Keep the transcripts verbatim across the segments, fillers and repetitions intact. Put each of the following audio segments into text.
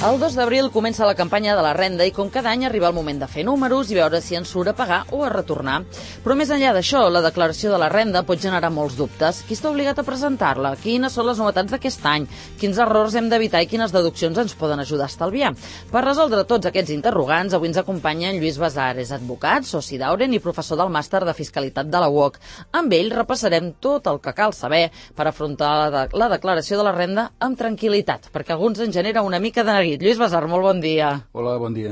El dos d'abril comença la campanya de la renda i com cada any arriba el moment de fer números i veure si ens surt a pagar o a retornar. Però més enllà d'això, la declaració de la renda pot generar molts dubtes. Qui està obligat a presentar-la? Quines són les novetats d'aquest any? Quins errors hem d'evitar i quines deduccions ens poden ajudar a estalviar? Per resoldre tots aquests interrogants, avui ens acompanya en Lluís Basar, és advocat, soci d'Auren i professor del màster de Fiscalitat de la U O C. Amb ell repassarem tot el que cal saber per afrontar la, de la declaració de la renda amb tranquil·litat, perquè a alguns ens genera una mica de neguit. Lluís Basar, molt bon dia. Hola, bon dia.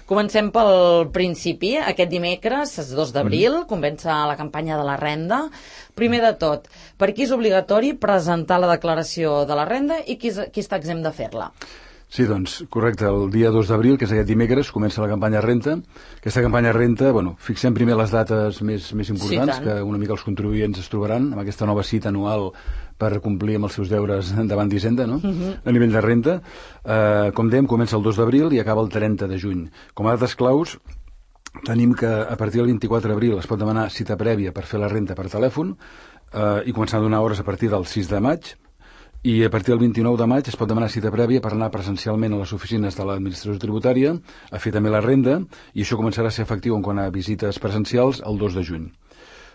Comencem pel principi. Aquest dimecres, el dos d'abril, mm. comença la campanya de la renda. Primer de tot, per qui és obligatori presentar la declaració de la renda i qui, qui està exempt de fer-la? Sí, doncs, correcte. El dia dos d'abril, que és aquest dimecres, comença la campanya renta. Aquesta campanya renta, bueno, fixem primer les dates més, més importants, sí, que una mica els contribuents es trobaran amb aquesta nova cita anual per complir amb els seus deures davant d'Hisenda, no? Uh-huh. A nivell de renta. Eh, com dèiem, comença el dos d'abril i acaba el trenta de juny. Com a dates claus, tenim que a partir del vint-i-quatre d'abril es pot demanar cita prèvia per fer la renta per telèfon eh, i començar a donar hores a partir del sis de maig. I a partir del vint-i-nou de maig es pot demanar cita prèvia per anar presencialment a les oficines de l'administració tributària a fer també la renda, i això començarà a ser efectiu en quant a visites presencials el dos de juny.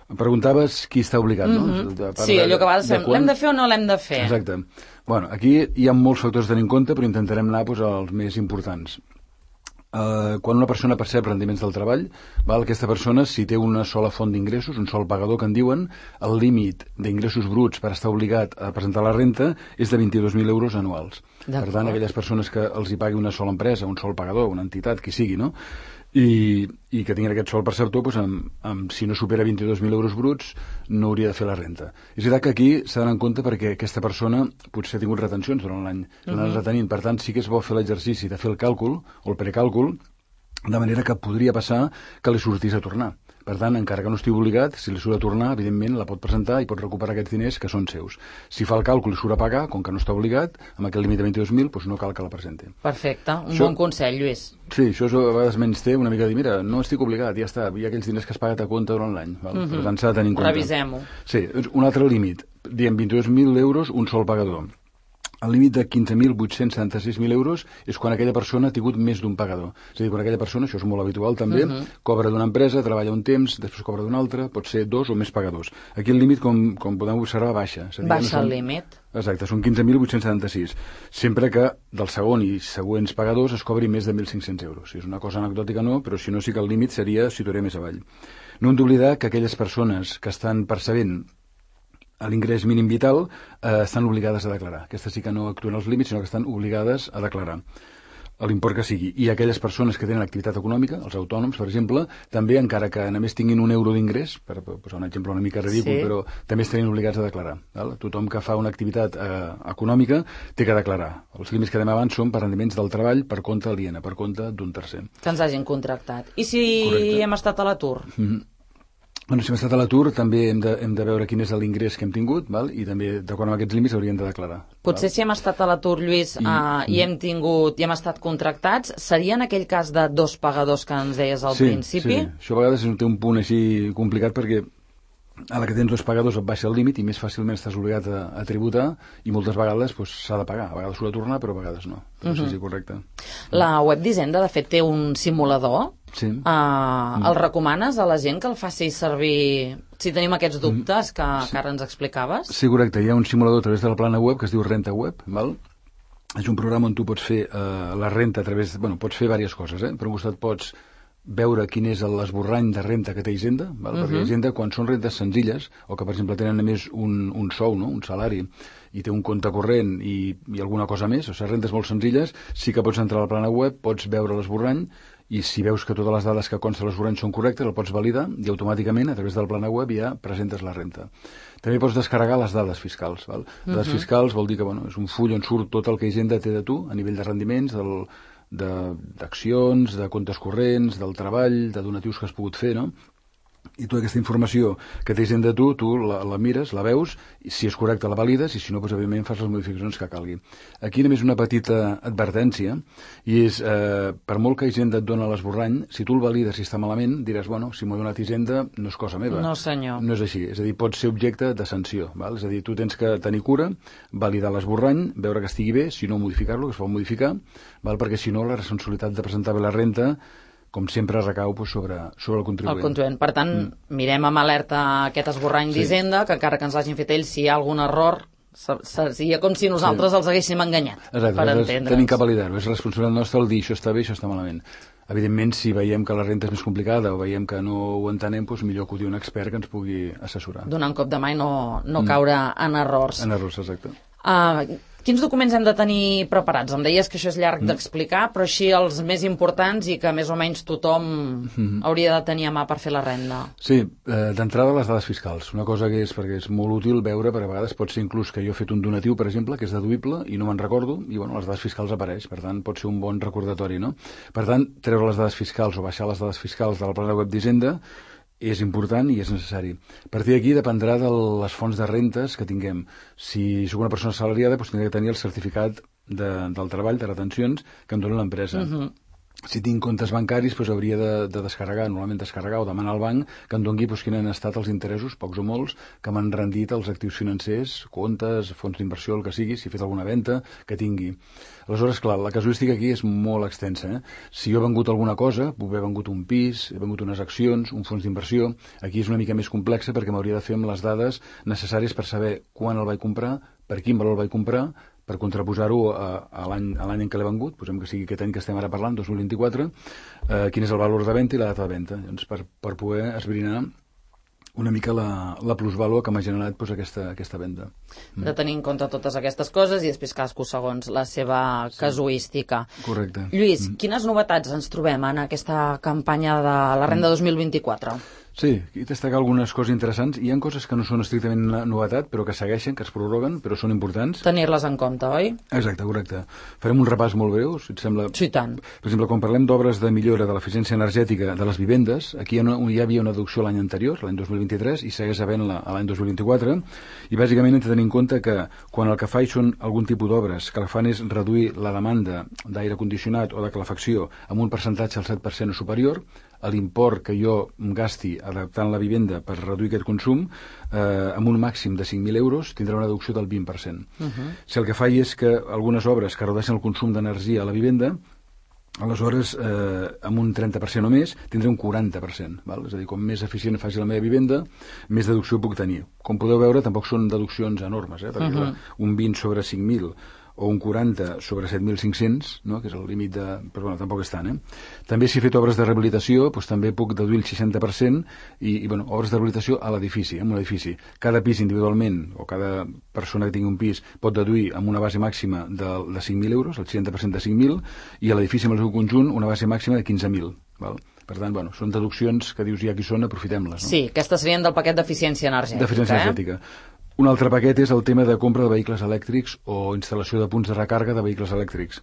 Em preguntaves qui està obligat, no? Mm-hmm. De, sí, allò que va de ser, l'hem de fer o no l'hem de fer? Exacte. Bueno, aquí hi ha molts factors a tenir en compte, però intentarem anar doncs, als més importants. Uh, quan una persona percep rendiments del treball, val, aquesta persona, si té una sola font d'ingressos, un sol pagador que en diuen, el límit d'ingressos bruts per estar obligat a presentar la renta és de vint-i-dos mil euros anuals. Per tant, aquelles persones que els hi pagui una sola empresa, un sol pagador, una entitat, qui sigui, no? I, i que tinguin aquest sol perceptor, doncs, amb, amb, si no supera vint-i-dos mil euros bruts, no hauria de fer la renta. És veritat que aquí s'ha d'anar en compte perquè aquesta persona potser ha tingut retencions durant l'any, s'ha anat retenint. Per tant, sí que és bo fer l'exercici de fer el càlcul o el precàlcul, de manera que podria passar que li sortís a tornar. Per tant, encara que no estigui obligat, si li surt a tornar, evidentment la pot presentar i pot recuperar aquests diners que són seus. Si fa el càlcul i surt a pagar, com que no està obligat, amb aquest límit de vint-i-dos mil, doncs no cal que la presenti. Perfecte, un això, bon consell, Lluís. Sí, això a vegades menys té una mica de dir, mira, no estic obligat, ja està, hi ha aquells diners que has pagat a compte durant l'any. Uh-huh. Per tant, s'ha de tenir en compte. Revisem-ho. Sí, un altre límit, diem vint-i-dos mil euros, un sol pagador. El límit de quinze mil vuit-cents setanta-sis mil euros és quan aquella persona ha tingut més d'un pagador. És a dir, quan aquella persona, això és molt habitual també, uh-huh. cobra d'una empresa, treballa un temps, després cobra d'una altra, pot ser dos o més pagadors. Aquí el límit, com, com podem observar, baixa. És a dir, baixa no són... el límit. Exacte, són quinze mil vuit-cents setanta-sis. Sempre que del segon i següents pagadors es cobri més de mil cinc-cents euros. És una cosa anecdòtica, no, però si no sí que el límit seria situaré més avall. No hem d'oblidar que aquelles persones que estan percebent a l'ingrés mínim vital eh, estan obligades a declarar. Aquestes sí que no actuen als límits, sinó que estan obligades a declarar l'import que sigui. I aquelles persones que tenen activitat econòmica, els autònoms, per exemple, també, encara que només tinguin un euro d'ingrés, per posar un exemple una mica ridícul, sí. però també estarien obligats a declarar. Val? Tothom que fa una activitat eh, econòmica té que declarar. Els límits que dèiem abans són per rendiments del treball per compte aliena, per compte d'un tercer. Que ens hagin contractat. I si Correcte. Hem estat a l'atur? Mm-hmm. Bueno, si hem estat a l'atur, també hem de, hem de veure quin és l'ingrés que hem tingut, val? I també, d'acord amb aquests límits, hauríem de declarar. Potser val? Si hem estat a l'atur, Lluís, I, uh, i hem tingut i hem estat contractats, seria en aquell cas de dos pagadors que ens deies al sí, principi? Sí, això a vegades té un punt així complicat perquè a la que tens dos pagadors et baixa el límit i més fàcilment estàs obligat a, a tributar i moltes vegades doncs, s'ha de pagar. A vegades s'ha de tornar, però a vegades no. Però uh-huh. sí, sí, correcte. La web d'Hisenda, de fet, té un simulador. Sí. Uh, mm. El recomanes a la gent que el faci servir si tenim aquests dubtes que, sí. que ara ens explicaves? Sí, correcte. Hi ha un simulador a través de la plana web que es diu Renta Web, val? És un programa on tu pots fer uh, la renta a través... Bueno, pots fer diverses coses, eh? Per un costat pots veure quin és l'esborrany de renta que té Hisenda, val? Uh-huh. Perquè Hisenda, quan són rentes senzilles, o que per exemple tenen només un, un sou, no? Un salari, i té un compte corrent i, i alguna cosa més, o sigui, rentes molt senzilles, sí que pots entrar a la plana web, pots veure l'esborrany, i si veus que totes les dades que consta l'esborrany són correctes, el pots validar i automàticament, a través del plana web, ja presentes la renta. També pots descarregar les dades fiscals. Val? Uh-huh. Dades fiscals vol dir que bueno, és un full on surt tot el que Hisenda té de tu, a nivell de rendiments, del d'accions, de, de comptes corrents, del treball, de donatius que has pogut fer, no? i tota aquesta informació que tens de tu, tu la, la mires, la veus, i si és correcta la valides, i si no, doncs, evidentment, fas les modificacions que calgui. Aquí només una petita advertència, i és, eh, per molt que Hisenda et dona l'esborrany, si tu el valides i està malament, diràs, bueno, si m'ho ha donat Hisenda, no és cosa meva. No, senyor. No és així, és a dir, pot ser objecte de sanció, val? És a dir, tu tens que tenir cura, validar l'esborrany, veure que estigui bé, si no modificar-lo, que es pot modificar, val? Perquè si no, la responsabilitat de presentar bé la renta, com sempre, recau pues, sobre, sobre el contribuent. El contribuent. Per tant, mm. mirem amb alerta aquest esborrany sí. d'Hisenda, que encara que ens l'hagin fet ells, si hi ha algun error, seria com si nosaltres sí. els haguéssim enganyat. Exacte, per entendre'ns. Tenim que validar-ho. És responsabilitat nostra el dir això està bé, això està malament. Evidentment, si veiem que la renta és més complicada o veiem que no ho entenem, doncs millor acudir a un expert que ens pugui assessorar. Donar un cop de mà i no, no mm. caure en errors. En errors, exacte. Uh, quins documents hem de tenir preparats? Em deies que això és llarg mm. d'explicar, però així els més importants i que més o menys tothom mm. hauria de tenir a mà per fer la renda. Sí, eh, d'entrada les dades fiscals. Una cosa que és, perquè és molt útil veure, perquè a vegades pot ser inclús que jo he fet un donatiu, per exemple, que és deduïble i no me'n recordo, i bueno, les dades fiscals apareix, per tant pot ser un bon recordatori, no? Per tant, treure les dades fiscals o baixar les dades fiscals de la plana web d'Hisenda és important i és necessari. A partir d'aquí dependrà de les fonts de rentes que tinguem. Si soc una persona assalariada, doncs tindré que tenir el certificat de, del treball, de retencions, que em dona l'empresa. Uh-huh. Si tinc comptes bancaris, doncs hauria de, de descarregar, normalment descarregar o demanar al banc que em doni doncs, quins han estat els interessos, pocs o molts, que m'han rendit els actius financers, comptes, fons d'inversió, el que sigui, si he fet alguna venda, que tingui. Aleshores, clar, la casuística aquí és molt extensa. Eh? Si jo he vengut alguna cosa, puc haver vengut un pis, he vengut unes accions, un fons d'inversió, aquí és una mica més complexa perquè m'hauria de fer amb les dades necessàries per saber quan el vaig comprar, per quin valor el vaig comprar, per contraposar-ho a, a l'any en què l'he vengut, posem que sigui aquest any que estem ara parlant, dos mil vint-i-quatre, eh, quin és el valor de venda i la data de venda, doncs per, per poder esbrinar una mica la, la plusvàlua que m'ha generat doncs, aquesta, aquesta venda. Mm. De tenir en compte totes aquestes coses i després cadascú segons la seva sí. casuística. Correcte. Lluís, mm. quines novetats ens trobem en aquesta campanya de la renda dos mil vint-i-quatre? Sí, aquí destacar algunes coses interessants. Hi ha coses que no són estrictament novetat, però que segueixen, que es prorroguen, però són importants. Tenir-les en compte, oi? Exacte, correcte. Farem un repàs molt breu, si et sembla. Sí, tant. Per exemple, quan parlem d'obres de millora de l'eficiència energètica de les vivendes, aquí ja hi havia una deducció l'any anterior, l'any dos mil vint-i-tres, i segueix havent-la l'any dos mil vint-i-quatre, i bàsicament hem de tenir en compte que quan el que fa són algun tipus d'obres que el que fan és reduir la demanda d'aire condicionat o de calefacció amb un percentatge del set per cent o superior, l'import que jo em gasti adaptant la vivenda per reduir aquest consum eh, amb un màxim de cinc mil euros tindrà una deducció del vint per cent. Uh-huh. Si el que fa és que algunes obres que redueixen el consum d'energia a la vivenda, aleshores eh, amb un trenta per cent o més tindré un quaranta per cent. Val? És a dir, com més eficient faci la meva vivenda, més deducció puc tenir. Com podeu veure, tampoc són deduccions enormes, eh? perquè uh-huh. un vint sobre cinc mil o un quaranta sobre set mil cinc-cents, no? que és el límit de... però bueno, tampoc és tant, eh? També si he fet obres de rehabilitació, doncs també puc deduir el seixanta per cent i, i bueno, obres de rehabilitació a l'edifici, en un edifici. Cada pis individualment, o cada persona que tingui un pis, pot deduir amb una base màxima de, de cinc mil euros, el seixanta per cent de cinc mil, i a l'edifici amb el seu conjunt una base màxima de quinze mil, val? Per tant, bueno, són deduccions que dius ja qui són, aprofitem-les. No? Sí, aquestes serien del paquet d'eficiència energètica. D'eficiència eh? energètica. Un altre paquet és el tema de compra de vehicles elèctrics o instal·lació de punts de recàrrega de vehicles elèctrics.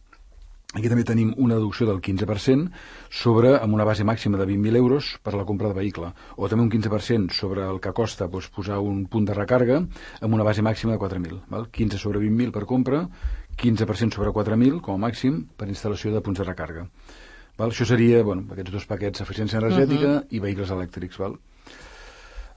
Aquí també tenim una deducció del quinze per cent sobre, amb una base màxima de vint mil euros per a la compra de vehicle, o també un quinze per cent sobre el que costa doncs, posar un punt de recàrrega amb una base màxima de quatre mil. Val? quinze sobre vint mil per compra, quinze per cent sobre quatre mil com a màxim per instal·lació de punts de recàrrega. Val? Això seria, bueno, aquests dos paquets, eficiència energètica uh-huh. i vehicles elèctrics. Val?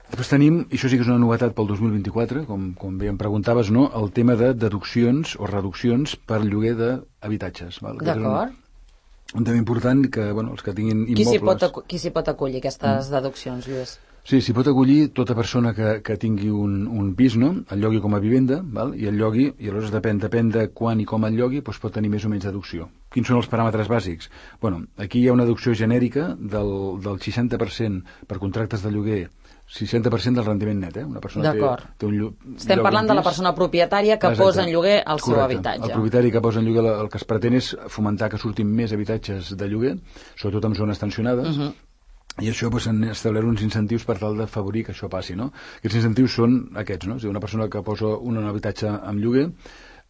Després tenim, i això sí que és una novetat pel dos mil vint-i-quatre, com, com bé em preguntaves, no? El tema de deduccions o reduccions per lloguer d'habitatges. D'acord. Un, un tema important que, bueno, els que tinguin immobles... Qui s'hi pot, qui s'hi pot acollir, aquestes mm. deduccions, Lluís? Sí, s'hi pot acollir tota persona que, que tingui un, un pis, no? El llogui com a vivenda, val? I el llogui, i aleshores depèn, depèn de quan i com el llogui, doncs pot tenir més o menys deducció. Quins són els paràmetres bàsics? Bueno, aquí hi ha una deducció genèrica del, del seixanta per cent per contractes de lloguer, seixanta per cent del rendiment net, eh? Una persona té, té un lloc. Estem parlant de la persona propietària que Exacte. Posa en lloguer el Correcte. Seu habitatge. El propietari que posa en lloguer, el que es pretén és fomentar que surtin més habitatges de lloguer, sobretot en zones tensionades, uh-huh. i això doncs, han establert uns incentius per tal d'afavorir que això passi, no? Aquests incentius són aquests, no? És a dir, una persona que posa un habitatge en lloguer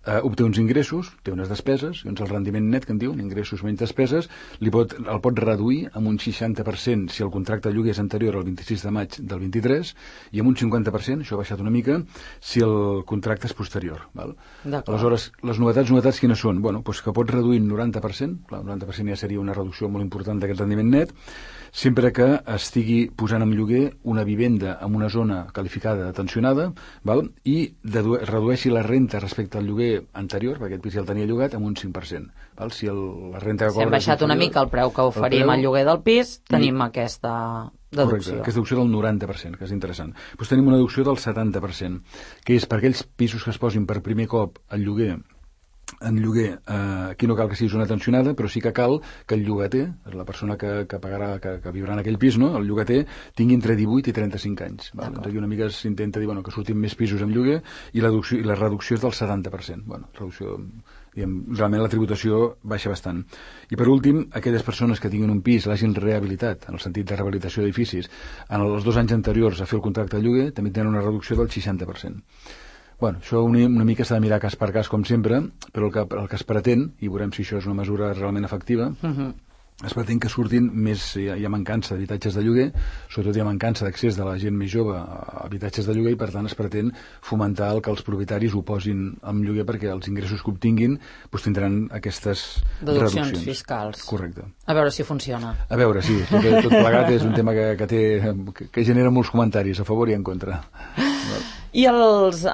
eh, obté uns ingressos, té unes despeses, doncs el rendiment net, que en diuen, ingressos menys despeses, li pot, el pot reduir amb un seixanta per cent si el contracte de lloguer és anterior al vint-i-sis de maig del vint-i-tres i amb un cinquanta per cent, això ha baixat una mica, si el contracte és posterior. Val? Aleshores, les novetats, novetats quines són? Bueno, doncs que pots reduir un noranta per cent, clar, un noranta per cent ja seria una reducció molt important d'aquest rendiment net, sempre que estigui posant en lloguer una vivenda en una zona qualificada tensionada, val? I redueixi la renta respecte al lloguer anterior, perquè aquest pis ja el tenia llogat, amb un cinc per cent. Val? Si el, la renta que si hem baixat inferior, una mica el preu que oferim al lloguer del pis, tenim i... aquesta deducció. Correcte, aquesta deducció del noranta per cent, que és interessant. Doncs tenim una deducció del setanta per cent, que és per aquells pisos que es posin per primer cop al lloguer en lloguer, eh, aquí no cal que sigui zona tensionada, però sí que cal que el llogater, la persona que, que pagarà, que, que viurà en aquell pis, no? El llogater tingui entre divuit i trenta-cinc anys. Val? Doncs aquí una mica s'intenta dir bueno, que surtin més pisos en lloguer i la, deducció, i la reducció és del setanta per cent. Bueno, reducció, diguem, realment la tributació baixa bastant. I per últim, aquelles persones que tinguin un pis, l'hagin rehabilitat, en el sentit de rehabilitació d'edificis, en els dos anys anteriors a fer el contracte de lloguer, també tenen una reducció del seixanta per cent. Bueno, això una, una mica s'ha de mirar cas per cas, com sempre, però el que, el que es pretén, i veurem si això és una mesura realment efectiva, uh-huh. es pretén que surtin més, hi ha, hi ha mancança d'habitatges de lloguer, sobretot hi ha mancança d'accés de la gent més jove a habitatges de lloguer i per tant es pretén fomentar el que els propietaris ho posin en lloguer perquè els ingressos que obtinguin doncs tindran aquestes deduccions reduccions fiscals. Correcte. A veure si funciona. A veure, sí, tot, tot plegat és un tema que, que, té, que, que genera molts comentaris a favor i en contra. I els uh,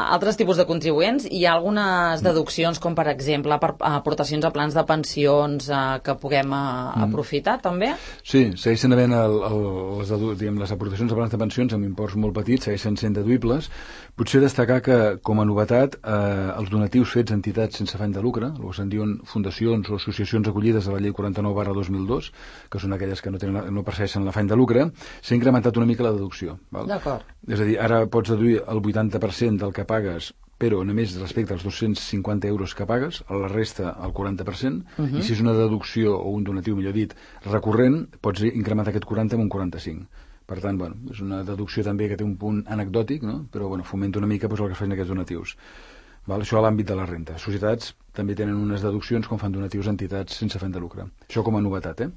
altres tipus de contribuents, hi ha algunes deduccions, com per exemple per aportacions a plans de pensions uh, que puguem uh, aprofitar, mm. també? Sí, segueixen havent el, el, les, diguem, les aportacions a plans de pensions amb imports molt petits, segueixen sent deduïbles. Potser destacar que, com a novetat, eh, els donatius fets a entitats sense afany de lucre, el que se'n diuen fundacions o associacions acollides a la llei quaranta-nou barra dos mil dos, que són aquelles que no, tenen, no persegueixen l'afany de lucre, s'ha incrementat una mica la deducció. Val? D'acord. És a dir, ara pots deduir el vuitanta per cent del que pagues, però només respecte als dos-cents cinquanta euros que pagues, a la resta el quaranta per cent, uh-huh. i si és una deducció o un donatiu, millor dit, recurrent, pots incrementar aquest quaranta amb un quaranta-cinc. Per tant, bueno, és una deducció també que té un punt anecdòtic, no? Però bueno, fomenta una mica doncs, el que es fan aquests donatius. Val? Això a l'àmbit de la renta. Societats també tenen unes deduccions com fan donatius a entitats sense afany de lucre. Això com a novetat, eh?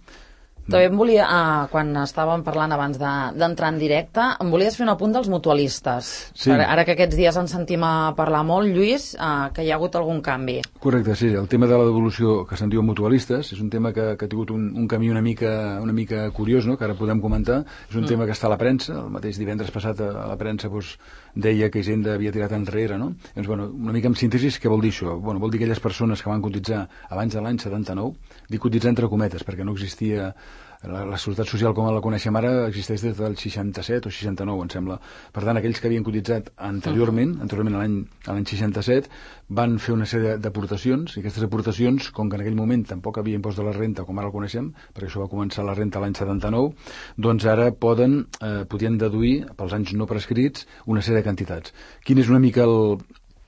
També em volia, eh, quan estàvem parlant abans d'entrar de, en directe, em volies fer un apunt dels mutualistes. Sí. Ara, ara que aquests dies ens sentim a parlar molt, Lluís, eh, que hi ha hagut algun canvi. Correcte, sí. El tema de la devolució que se'n diu mutualistes és un tema que, que ha tingut un, un camí una mica, una mica curiós, no?, que ara podem comentar. És un mm. tema que està a la premsa. El mateix divendres passat a, a la premsa doncs, deia que Hisenda havia tirat enrere, no? Doncs, bueno, una mica en síntesi, què vol dir això? Bueno, vol dir que aquelles persones que van cotitzar abans de l'any setanta-nou, dic cotitzar entre cometes, perquè no existia... La, la Seguretat Social com la coneixem ara existeix des del seixanta-set o seixanta-nou, em sembla. Per tant, aquells que havien cotitzat anteriorment, anteriorment a l'any a l'any seixanta-set, van fer una sèrie d'aportacions, i aquestes aportacions, com que en aquell moment tampoc havia impost de la renta com ara el coneixem, perquè això va començar la renta l'any setanta-nou, doncs ara poden, eh, podien deduir, pels anys no prescrits, una sèrie de quantitats. Quin és una mica el...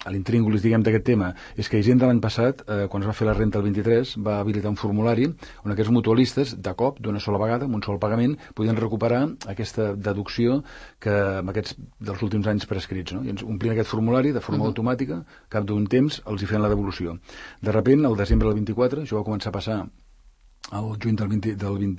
a l'intríngulis, diguem, d'aquest tema, és que Hisenda l'any passat, eh, quan es va fer la renta el vint-i-tres, va habilitar un formulari on aquests mutualistes, de cop, d'una sola vegada, amb un sol pagament, podien recuperar aquesta deducció que amb aquests dels últims anys prescrits, no? I ens omplien aquest formulari de forma uh-huh. automàtica, cap d'un temps els hi feien la devolució. De sobte, el desembre del vint-i-quatre, això va començar a passar el juny del, vint, del, vint,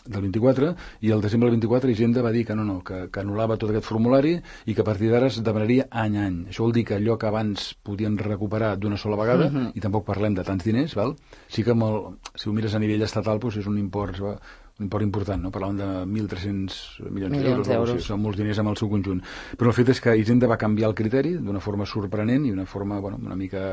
del vint-i-quatre, i el desembre del vint-i-quatre Hisenda va dir que no, no, que, que anul·lava tot aquest formulari i que a partir d'ara es demanaria any a any. Això vol dir que allò que abans podien recuperar d'una sola vegada, uh-huh. i tampoc parlem de tants diners, val? Sí que amb el, si ho mires a nivell estatal doncs és un import, un import important, no? Parlàvem de mil tres-cents milions d'euros, d'euros. Sí, són molts diners amb el seu conjunt. Però el fet és que Hisenda va canviar el criteri d'una forma sorprenent i una forma, bueno, una mica...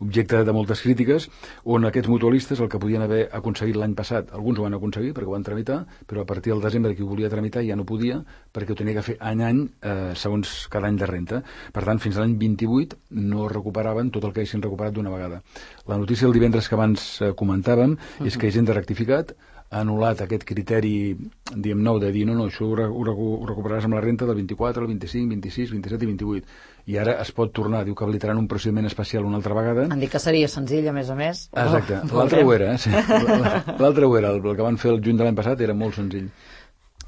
objecte de moltes crítiques, on aquests mutualistes el que podien haver aconseguit l'any passat, alguns ho van aconseguir perquè ho van tramitar, però a partir del desembre qui ho volia tramitar ja no podia perquè ho tenia que fer any a any eh, segons cada any de renta. Per tant, fins a l'any vint-i-vuit no recuperaven tot el que haguessin recuperat d'una vegada. La notícia del divendres que abans eh, comentàvem uh-huh. és que Hisenda ha rectificat, ha anul·lat aquest criteri, diguem, nou de dir no, no, això ho, ho, ho recuperaràs amb la renta del vint-i-quatre, el vint-i-cinc, vint-i-sis, vint-i-set i vint-i-vuit. I ara es pot tornar, diu que habilitaran un procediment especial una altra vegada. Han dit que seria senzill, a més a més. Exacte, oh, l'altre ho era, eh? Sí. L'altre ho era, el que van fer el juny de l'any passat era molt senzill.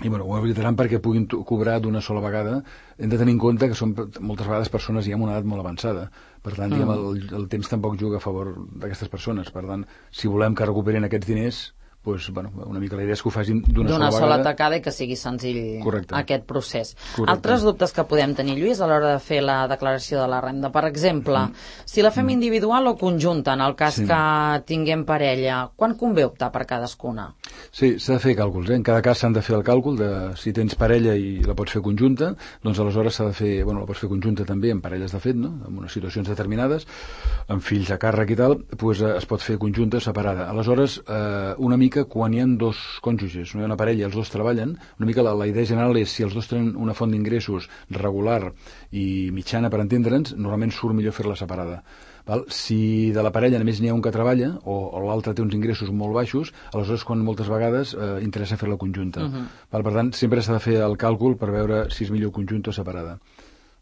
i bueno, ho habilitaran perquè puguin cobrar d'una sola vegada. Hem de tenir en compte que són moltes vegades persones ja amb una edat molt avançada, per tant, mm. diguem, el, el temps tampoc juga a favor d'aquestes persones, per tant, si volem que recuperin aquests diners, pues, bueno, una mica la idea és que ho facin d'una sola, sola tacada i que sigui senzill. Correcte. Aquest procés. Correcte. Altres dubtes que podem tenir, Lluís, a l'hora de fer la declaració de la renda. Per exemple, mm. si la fem individual o conjunta, en el cas sí. que tinguem parella, quan convé optar per cadascuna? Sí, s'ha de fer càlculs. Eh? En cada cas s'han de fer el càlcul de si tens parella i la pots fer conjunta, doncs aleshores s'ha de fer, bueno, la pots fer conjunta també en parelles de fet, no? En unes situacions determinades, amb fills a càrrec i tal, doncs es pot fer conjunta o separada. Aleshores, eh, una mica quan hi ha dos cònjuges, no hi ha una parella i els dos treballen, una mica la, la idea general és si els dos tenen una font d'ingressos regular i mitjana, per entendre'ns, normalment surt millor fer-la separada. Val? Si de la parella només n'hi ha un que treballa o, o l'altre té uns ingressos molt baixos, aleshores quan moltes vegades eh, interessa fer-la conjunta. Uh -huh. Val? Per tant, sempre s'ha de fer el càlcul per veure si és millor conjunta o separada.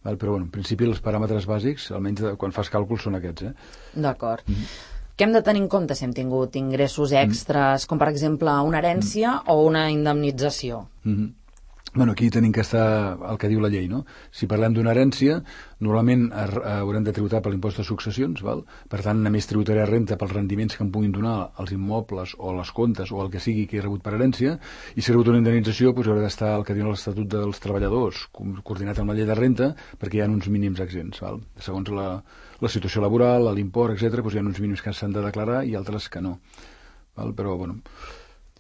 Val? Però bueno, en principi els paràmetres bàsics, almenys de, quan fas càlculs, són aquests. Eh? D'acord. Uh -huh. Què hem de tenir en compte si hem tingut ingressos extres, mm. com per exemple una herència mm. o una indemnització? Mm-hmm. Bueno, aquí tenim que estar el que diu la llei, no? Si parlem d'una herència, normalment haurem de tributar per l'impost de successions, val? Per tant, només tributaré renta pels rendiments que em puguin donar els immobles o les comptes o el que sigui que he rebut per herència, i si he rebut una indemnització, doncs haurà d'estar el que diu l'Estatut dels Treballadors, coordinat amb la llei de renta, perquè hi ha uns mínims exempts, val? Segons la, la situació laboral, l'import, etcètera, doncs hi ha uns mínims que s'han de declarar i altres que no. Val? Però, bueno...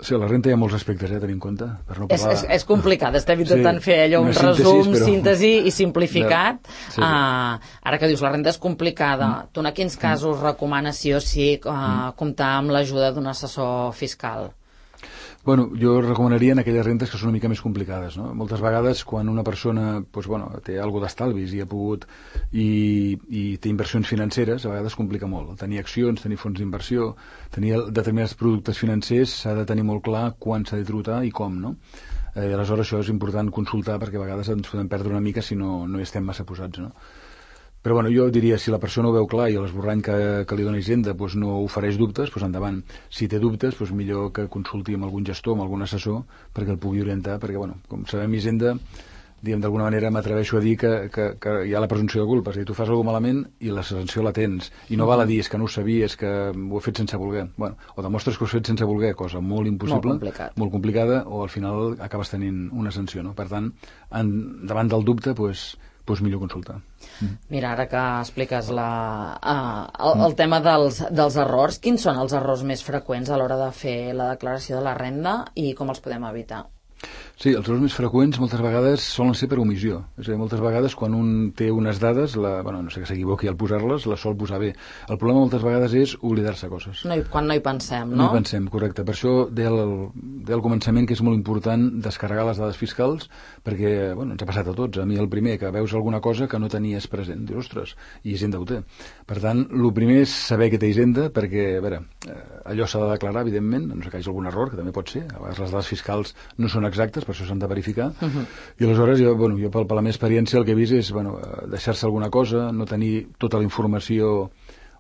Sí, a la renta hi ha molts aspectes, eh, a tenir en compte. Per no parlar... és, és, és complicat, estem intentant sí, fer allò un resum, però... síntesi i simplificat. Sí. Uh, ara que dius, la renta és complicada, mm. tu en quins casos mm. recomanes sí o sí uh, mm. comptar amb l'ajuda d'un assessor fiscal? Bueno, jo recomanaria en aquelles rentes que són una mica més complicades, no? Moltes vegades quan una persona doncs, bueno, té alguna d'estalvis i ha pogut i, i té inversions financeres, a vegades complica molt. Tenir accions, tenir fons d'inversió, tenir determinats productes financers, s'ha de tenir molt clar quan s'ha de tributar i com, no? Eh, aleshores això és important consultar perquè a vegades ens podem perdre una mica si no, no hi estem massa posats, no? Però bueno, jo diria, si la persona ho veu clar i l'esborrany que, que li dona Hisenda doncs no ofereix dubtes, doncs endavant. Si té dubtes, doncs millor que consulti amb algun gestor, amb algun assessor, perquè el pugui orientar, perquè, bueno, com sabem, Hisenda, diguem, d'alguna manera m'atreveixo a dir que, que, que hi ha la presumpció de culpa. És a dir, tu fas alguna malament i la sanció la tens. I no val a dir, és que no ho sabies, que ho he fet sense voler. Bueno, o demostres que ho has fet sense voler, cosa molt impossible, molt, complicat. molt complicada, o al final acabes tenint una sanció, no? Per tant, en, davant del dubte, doncs, doncs millor consultar. Mira, ara que expliques la, uh, el, el tema dels, dels errors, quins són els errors més freqüents a l'hora de fer la declaració de la renda i com els podem evitar? Sí, els errors més freqüents moltes vegades solen ser per omissió. És a dir, moltes vegades quan un té unes dades, la, bueno, no sé que s'equivoqui al posar-les, les sol posar bé. El problema moltes vegades és oblidar-se coses. No hi, quan no hi pensem, no? No hi pensem, correcte. Per això deia al, deia al començament que és molt important descarregar les dades fiscals perquè, bueno, ens ha passat a tots. A mi el primer, que veus alguna cosa que no tenies present. Dius, ostres, i Hisenda ho té. Per tant, el primer és saber que té Hisenda perquè, a veure, allò s'ha de declarar, evidentment, no sé que hi hagi algun error, que també pot ser. A vegades les dades fiscals no són exactes, per això s'han de verificar, uh -huh. i aleshores jo, bueno, jo per, per la meva experiència el que he vist és bueno, deixar-se alguna cosa, no tenir tota la informació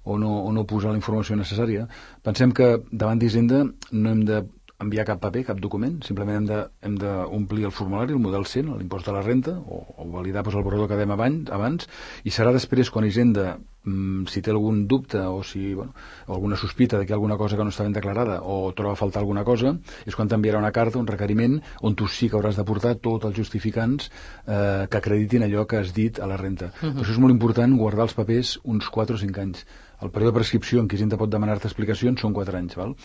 o no, o no posar la informació necessària. Pensem que davant d'Hisenda no hem de enviar cap paper, cap document, simplement hem de, hem d'omplir el formulari, el model cent, l'impost de la renta, o, o validar doncs, el borrador que dèiem abans, abans, i serà després quan Hisenda, mm, si té algun dubte o si, bueno, o alguna sospita de que hi ha alguna cosa que no està ben declarada o troba a faltar alguna cosa, és quan t'enviarà una carta, un requeriment, on tu sí que hauràs de portar tots els justificants eh, que acreditin allò que has dit a la renta. Uh-huh. Per això és molt important guardar els papers uns quatre o cinc anys. El període de prescripció en què Hisenda pot demanar-te explicacions són quatre anys, val?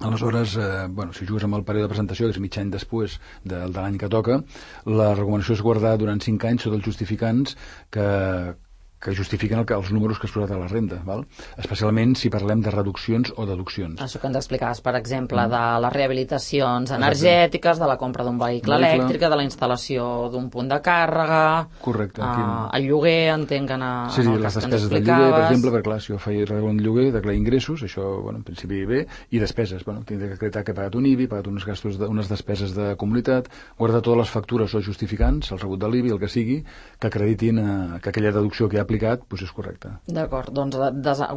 Aleshores, eh, bueno, si jugues amb el període de presentació, que és mig any després de, de l'any que toca, la recomanació és guardar durant cinc anys tots els justificants que, que justifiquen el, els números que has posat a la renda, val? Especialment si parlem de reduccions o deduccions. Això que ens explicaves, per exemple, mm. de les rehabilitacions energètiques, de la compra d'un vehicle elèctric, de la instal·lació d'un punt de càrrega... Correcte. Uh, el lloguer, entenc que en, sí, sí, en el les cas que despeses del lloguer, per exemple, perquè clar, si jo faig un lloguer, declarar ingressos, això, bueno, en principi bé, i despeses, bueno, tinc que acreditar que he pagat un I B I, he pagat uns gastos de, unes despeses de comunitat, guardar totes les factures o justificants, el rebut de l'I B I, el que sigui, que acreditin eh, que aquella deducció que ha aplicat, doncs és correcte. D'acord, doncs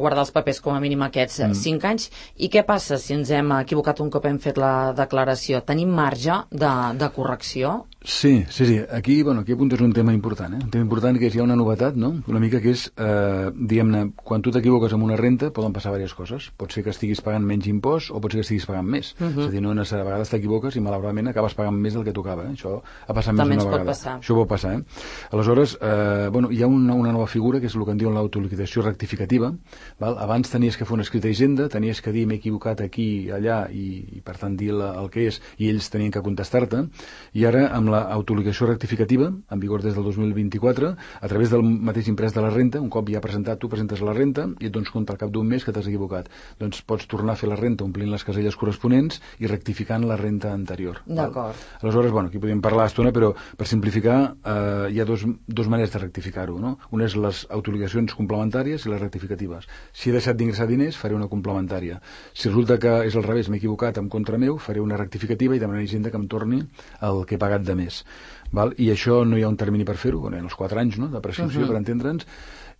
guardar els papers com a mínim aquests mm. cinc anys. I què passa si ens hem equivocat un cop hem fet la declaració? Tenim marge de, de correcció? Sí, sí, sí. Aquí, bueno, aquí apuntes un tema important, eh? Un tema important que és, hi ha una novetat, no? Una mica que és, eh, diguem-ne, quan tu t'equivoques amb una renta poden passar diverses coses. Pot ser que estiguis pagant menys impost o pot ser que estiguis pagant més. Uh -huh. És a dir, no, a vegades t'equivoques i malauradament acabes pagant més del que tocava. Eh? Això ha passat També més d'una vegada. Passar. Això pot passar, eh? Aleshores, eh, bueno, hi ha una, una nova figura que és el que en diuen l'autoliquidació rectificativa. Val? Abans tenies que fer una escrita d'Hisenda, tenies que dir m'he equivocat aquí, allà, i, i per tant dir la, el que és, i ells tenien que contestar-te. I ara, amb l'autoliquidació rectificativa, en vigor des del dos mil vint-i-quatre, a través del mateix imprès de la renta, un cop ja presentat, tu presentes la renta i et dones compte al cap d'un mes que t'has equivocat. Doncs pots tornar a fer la renta omplint les caselles corresponents i rectificant la renta anterior. D'acord. Aleshores, bueno, aquí podríem parlar estona, però per simplificar eh, hi ha dos, dos maneres de rectificar-ho, no? Una és les autoliquidacions complementàries i les rectificatives. Si he deixat d'ingressar diners, faré una complementària. Si resulta que és al revés, m'he equivocat en contra meu, faré una rectificativa i demanaré a Hisenda que em torni el que he pagat de més. Val? I això no hi ha un termini per fer-ho, bueno, en els quatre anys, no?, de prescripció, uh -huh. per entendre'ns,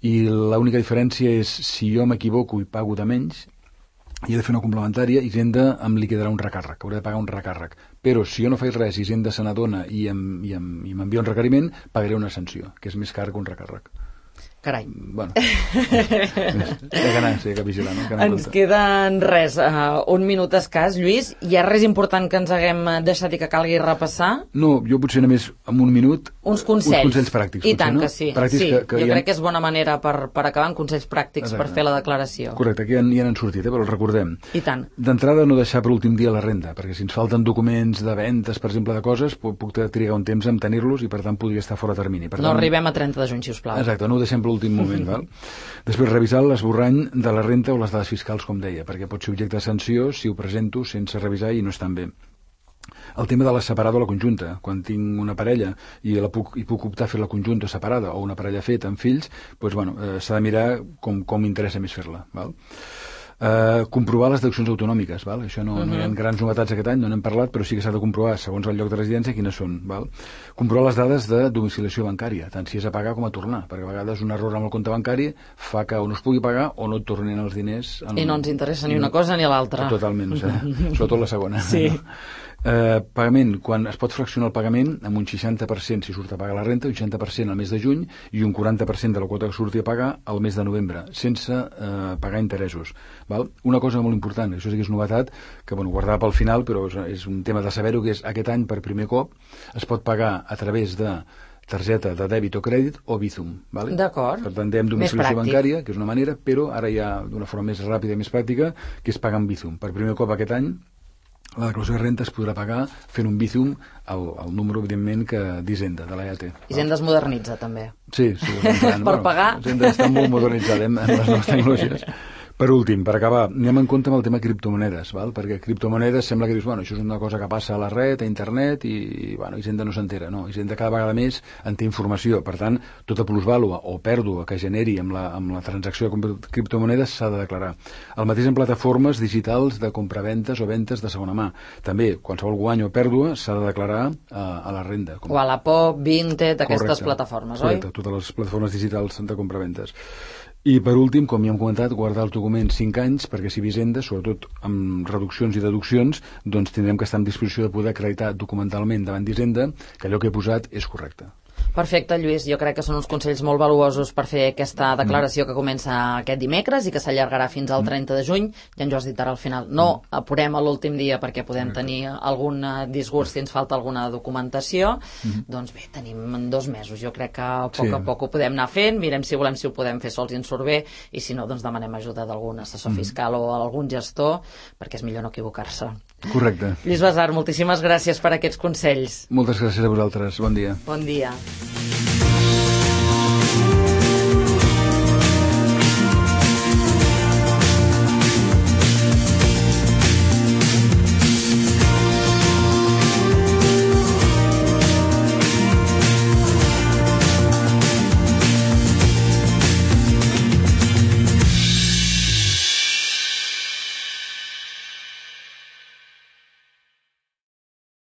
i l'única diferència és si jo m'equivoco i pago de menys, i he de fer una complementària, Hisenda em liquidarà un recàrrec, hauré de pagar un recàrrec. Però si jo no faig res, Hisenda se n'adona i m'envia un requeriment, pagaré una sanció, que és més car que un recàrrec. Carai. Bueno, hi ha que anar, sí, hi ha que vigilar, no? Que ens queden res, uh, un minut escàs, Lluís. Hi ha res important que ens haguem deixat i que calgui repassar? No, jo potser només en un minut... Uns consells. Uns consells pràctics. I tant potser, no? que sí. Pràctics sí. Que, que jo ha... crec que és bona manera per, per acabar amb consells pràctics. Exacte. Per fer la declaració. Correcte, aquí ja, ja n'han sortit, eh, però els recordem. I tant. D'entrada, no deixar per últim dia la renda, perquè si ens falten documents de ventes, per exemple, de coses, puc, puc trigar un temps en tenir-los i, per tant, podria estar fora de termini. Per no tant, arribem a trenta de juny, si us plau. Exacte, no ho deixem per l'últim moment, val? Després, revisar l'esborrany de la renta o les dades fiscals, com deia, perquè pot ser objecte de sanció si ho presento sense revisar i no estan bé. El tema de la separada o la conjunta. Quan tinc una parella i, la puc, i puc optar a fer la conjunta separada o una parella feta amb fills, doncs, bueno, eh, s'ha de mirar com, com m'interessa més fer-la. Val? Uh, comprovar les deduccions autonòmiques, val? Això no, uh -huh. no hi ha grans novetats aquest any, no n'hem parlat, però sí que s'ha de comprovar, segons el lloc de residència, quines són. Val? Comprovar les dades de domiciliació bancària, tant si és a pagar com a tornar, perquè a vegades un error amb el compte bancari fa que o no es pugui pagar o no et tornin els diners. En... I no ens interessa ni una cosa ni l'altra. Totalment, o sigui, sobretot la segona. Sí. Uh, pagament, quan es pot fraccionar el pagament amb un seixanta per cent si surt a pagar la renta, un seixanta per cent al mes de juny i un quaranta per cent de la quota que surti a pagar al mes de novembre, sense uh, pagar interessos. Val? Una cosa molt important, això sí que és novetat, que bueno, guardava pel final, però és, és un tema de saber-ho, que és aquest any per primer cop es pot pagar a través de targeta de dèbit o crèdit o Bizum. Vale? D'acord. Per tant, dèiem domiciliació bancària, que és una manera, però ara hi ha d'una forma més ràpida i més pràctica, que és pagar amb Bizum. Per primer cop aquest any la declaració de renta es podrà pagar fent un Bizum al, al número, evidentment, que d'Hisenda, de l'E A T. Hisenda es modernitza, també. Sí, sí. Per bueno, pagar. Hisenda està molt modernitzada amb les noves tecnologies. Per últim, per acabar, anem en compte amb el tema criptomonedes, val? Perquè criptomonedes sembla que dius, bueno, això és una cosa que passa a la red, a internet, i, bueno, Hisenda no s'entera. No, Hisenda cada vegada més en té informació. Per tant, tota plusvàlua o pèrdua que generi amb la, amb la transacció de criptomonedes s'ha de declarar. El mateix en plataformes digitals de compraventes o ventes de segona mà. També, qualsevol guany o pèrdua s'ha de declarar a, a la renda. Com... O a la P O P, Vinted, aquestes plataformes, correcte, oi? Correcte, totes les plataformes digitals de compraventes. I, per últim, com ja hem comentat, guardar els documents cinc anys, perquè si Hisenda, sobretot amb reduccions i deduccions, doncs tindrem que estar en disposició de poder acreditar documentalment davant d'Hisenda que allò que he posat és correcte. Perfecte, Lluís. Jo crec que són uns consells molt valuosos per fer aquesta declaració que comença aquest dimecres i que s'allargarà fins al trenta de juny. Ja ens ho has dit ara al final. No apurem a l'últim dia perquè podem tenir algun disgust si ens falta alguna documentació. Mm-hmm. Doncs bé, tenim dos mesos. Jo crec que a poc sí. a poc ho podem anar fent. Mirem si volem si ho podem fer sols i ens surt bé, i si no, doncs demanem ajuda d'algun assessor mm-hmm. fiscal o algun gestor, perquè és millor no equivocar-se. Correcte. Lluís Basart, moltíssimes gràcies per aquests consells. Moltes gràcies a vosaltres. Bon dia. Bon dia.